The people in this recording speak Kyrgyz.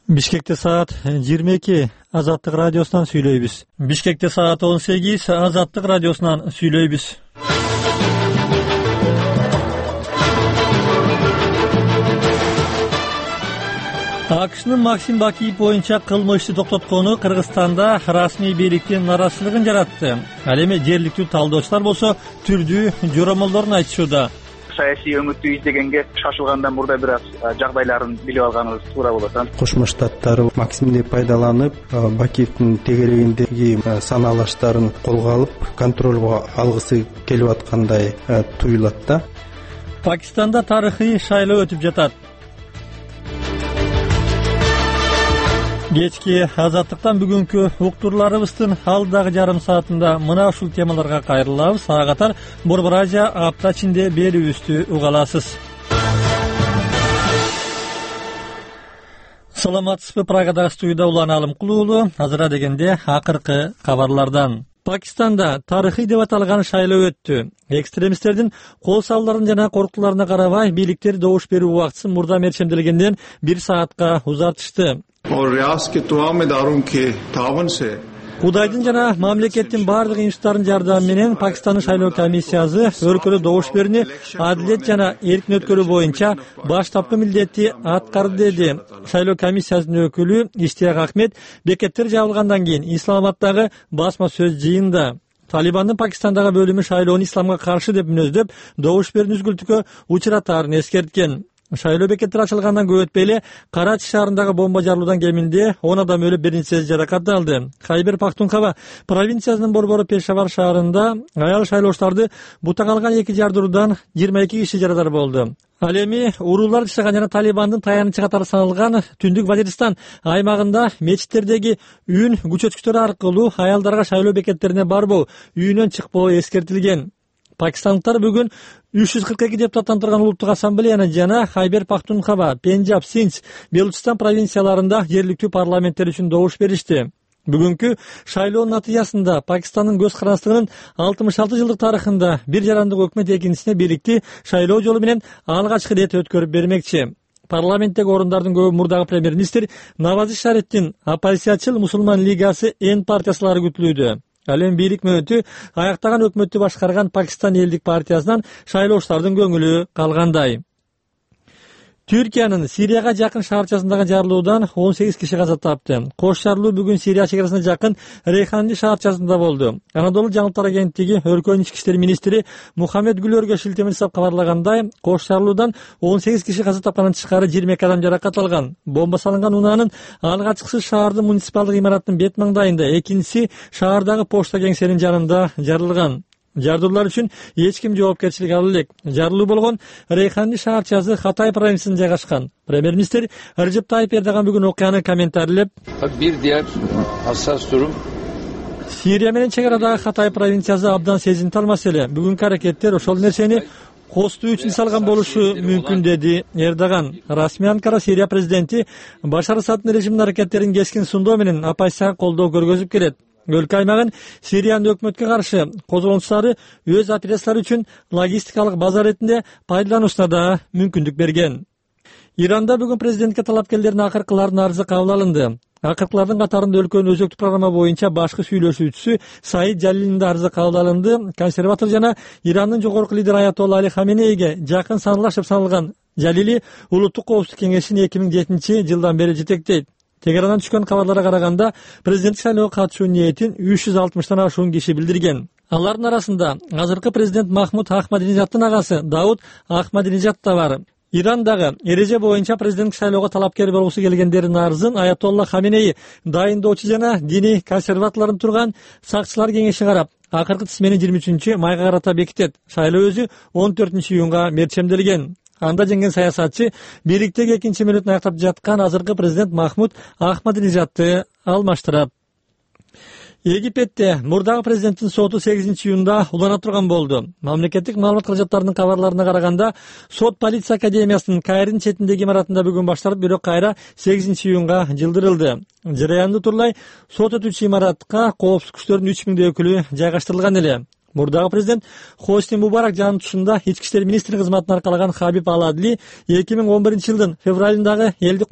Бишкекте саат 22 Азаттык радиосунан сүйлөйбүз. Бишкекте саат 18 Азаттык радиосунан сүйлөйбүз. АКШнын Максим Бакиев боюнча кылмышты токтоткону Кыргызстанда расмий бийликтин наразычылыгын жаратты. Ал эми жергиликтүү талдоочулар болсо түрдүү жоромолдорун айтышууда. Саясий өңүттү издегенге шашылгандан мурда бир аз жагдайларын билип алганыбыз туура болот. Кошмо Штаттар Максимди пайдаланып, Бакиевдин тегерегиндеги санаалаштарын колго алып, контролго алгысы келип аткандай туюлат да. Пакистанда тарыхый шайлоо өтүп жатат. Кечки Азаттыктан бүгүнкү уктурларыбыздын алдагы жарым саатында мына ушул темаларга кайрылабыз. Ага катар Борбор Азия апта ичинде берүүбүздү уга аласыз. Саламатсызбы? Прагадагы студияда Улан Алымкулуу. Азыра дегенде акыркы кабарлардан. Пакистанда тарыхый деп аталган шайлоо өттү. Экстремисттердин кол салууларын жана коркутууларына карабай, бийликтер добуш берүү убактысын мурда мерчемделгенден 1 саатка узартышты. Кудайдын жана мамлекеттин бардык институттарынын жардамы менен Пакистандын шайлоо комиссиясы өлкөдө добуш берүүнү адилет жана эркин өткөрүү боюнча баштапкы милдетти аткарды, деди шайлоо комиссиясынын өкүлү Иштияк Ахмед бекеттер жабылгандан кийин Исламабаддагы басма сөз жыйынында. Талибандын Пакистандагы бөлүмү шайлоону исламга каршы деп мүнөздөп, добуш берүүнү үзгүлтүккө учуратаарын эскерткен. Шайлоо бекеттери ачылгандан көп өтпөй эле Карачи шаарындагы бомба жарылуудан кеминде 10 адам өлүп, бир нечеси жаракат алды. Хайбер Пахтунхава провинциясынын борбору Пешавар шаарында аял шайлоочуларды бута калган 2 жардыруудан 22 киши жарадар болду. Ал эми уруулар жашаган жана Талибандын таянычы катары саналган Түндүк Вазиристан аймагында мечиттердеги үн күчөткүчтөр аркылуу аялдарга шайлоо бекеттерине барбоо, үйүнөн чыкпоо эскертилген. Пакистандыктар бүгүн 342 депутаттан турган улуттук ассамблеяны жана Хайбер Пахтунхава, Пенджаб, Синдж, Белучистан провинцияларында жергиликтүү парламенттер үчүн добуш беришти. Бүгүнкү шайлоонун натыйжасында Пакистандын көз карандылыгынын 66 жылдык тарыхында бир жарандык өкмөт экинчисине бийликти шайлоо жолу менен алгачкы рет өткөрүп бермекчи. Парламенттеги орундардын көбү мурдагы премьер-министр Навази Шарифтин оппозициячыл Мусулман лигасы Н партиясылары күтүлүүдө. Ал эми бийлик мөөнөтү аяктаган өкмөттү башкарган Пакистан элдик партиясынан шайлоочулардын көңүлү калгандай. Түркиянын Сирияга жакын шаарчасындагы жарылуудан 18 киши каза тапты. Кош жарылуу бүгүн Сирия чегарасына жакын Рейханли шаарчасында болду. Анадолу жаңылыктар агенттиги өлкөнүн ички иштер министри Мухаммед Гүлөргө шилтеме жасап кабарлагандай, кош жарылуудан 18 киши каза тапкандан тышкары 22 адам жаракат алган. Бомба салынган унаанын алгачкысы шаардын муниципалдык имаратынын бет маңдайында, экинчиси шаардагы почта кеңсенин жанында жарылган. Жардуулар үчүн эч ким жоопкерчилик ала элек. Жарылуу болгон Рейханли шаарчасы Хатай провинциясында жайгашкан. Премьер-министр Режеп Тайип Эрдоган бүгүн окуяны комментарлеп, бир диğer hassas durum Сирия менен чегарадагы Хатай провинциясы абдан сезимтал маселе. Бүгүнкү аракеттер ошол нерсени костуу үчүн салган болушу мүмкүн, деди Эрдоган. Расмий Анкара Сирия президенти Башар Асаддын режиминин аракеттерин кескин сундоо менен оппозицияга колдоо көргөзүп келет. Өлкө аймагын Сириянын өкмөткө каршы козголоңчулары өз операциялары үчүн логистикалык база ретинде пайдалануусуна да мүмкүндүк берген. Иранда бүгүн президентке талапкерлердин акыркылардын арызы кабыл алынды. Акыркылардын катарында өлкөнүн өзөктүк программа боюнча башкы сүйлөшүүчүсү Саид Жалилдин да арызы кабыл алынды. Консерватор жана Ирандын жогорку лидери Аятолла Али Хаменейге жакын саналашып саналган Жалили Улуттук коопсуздук кеңешин 2007 жылдан бери жетектейт. Тегерандан түшкөн кабарларга караганда, президенттик шайлоого катышуу ниетин 360тан ашуун киши билдирген. Алардын арасында азыркы президент Махмуд Ахмадинежаддын агасы Дауд Ахмадинежад да бар. Ирандагы эреже боюнча президенттик шайлоого талапкер болгусу келгендердин арызын Аятолла Хаменей дайындоочу жана диний консерваторлордун турган сакчылар кеңеши карап, акыркы тизмени 23 майга карата бекитет. Шайлоо өзү 14 июнга мерчемделген. Анда жеңген саясатчы бийликтеги экинчи мөөнөтүн аяктап жаткан азыркы президент Махмуд Ахмадинежадды алмаштырат. Египетте мурдагы президенттин соту 8 июнда улана турган болду. Мамлекеттик маалымат каражаттарынын кабарларына караганда, сот полиция академиясынын Кайрдын четиндеги имаратында бүгүн башталып, бирок кайра 8 июнга жылдырылды. Жараянды турлай сот өтүүчү имаратка коопсуздук күчтөрүнүн 3000 өкүлү жайгаштырылган эле. Мурдагы президент Хосни Мубарак жанын тушунда ички иштер министри кызматын аркалаган Хабиб Ал-Адли 2011 жылдын февралындагы элдик